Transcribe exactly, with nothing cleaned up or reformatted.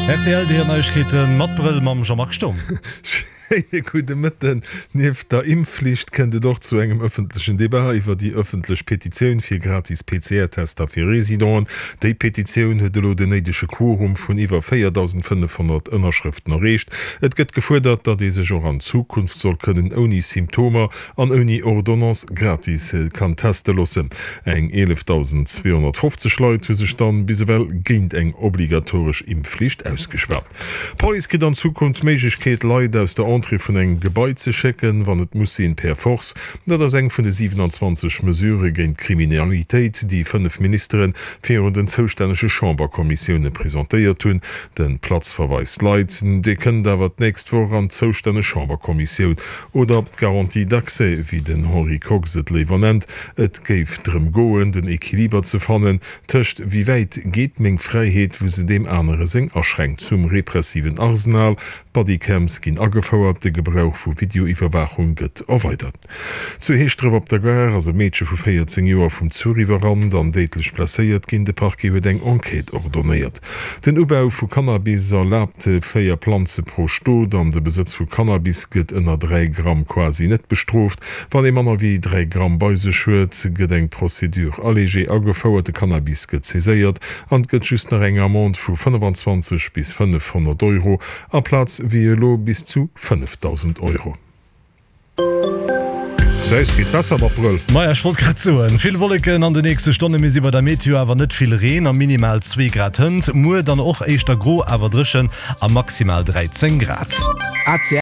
Rtl, déi Neiegkeete mat Brëll mam Jean-Marc Sturm. Schéine gudde Mëtten. Nieft der Impfflicht kënnt et och zu engem ëffentlechen Debat iwwer déi ëffentlech Petitioun fir gratis P C R-Tester fir Residenten. Déi Petitioun huet elo den néidege Quorum vun iwwer véierdausendfënnefhonnert Ënnerschrëften erreecht. Et gëtt gefuerdert, datt ee sech och an Zukunft soll kënnen ouni Symptomer an ouni Ordonnance gratis kann teste loossen. Eng eelefdausendzweehonnertfofzeg Leit hu sech dann bis ewell géint eng obligatoresch Impfflicht ausgeschwat. D'Police kritt an Zukunft d'Méiglechkeet, Leit aus der Entrée vun engem Gebai ze schécken, wann et muss sinn, per Force. Dat ass eng vun de siwenanzwanzeg Mesurë géint d'Kriminalitéit, déi fënnef Ministere virun den zoustännege Chamberkommissioune presentéiert hunn. De Platzverweis Leit, dee kënnt awer d'nächst Woch an d'zoustänneg Chamberkommissioun. Oder d'Garantie d'accès, wéi den Henri Kox et léiwer nennt. Et géif drëm goen, den Equiliber ze fannen tëscht wéi wäit geet meng Fräiheet, wou se deem anere seng aschränkt. Zum repressiven Arsenal, Bodycams ginn agefouert, de Gebrauch vu Videoiwwerwaachung gëtt erweidert. Zu Heeschdref op der Gare ass e Meedche vu véierzéng Joer vum Zuch iwwerrannt an déidlech blesséiert ginn. De Parquet huet eng Enquête ordonéiert. Den Ubau vu Cannabis erlaabt véier Planze pro Stot an de Besëtz vu Cannabis gëtt ënner dräi Gramm quasi net bestrooft. Wann ee manner wéi dräi Gramm bei sech huet, gëtt eng Procédure allégée agefouert, de Cannabis gëtt saiséiert an et gëtt just nach eng Amende vu fënnefenzwanzeg bis fënnefhonnert Euro amplaz wéi elo bis zu fënnefdausend Euro. Säis geet besser mat Brëll. Maja, ech wollt grad soen, vill Wolleken an de nächste Stonne, mir si bei der Meteo awer net vill Reen a minimal zwee Grad hënt. Muer dann och éischter gro, awer dréchen a maximal dräizéng Grad.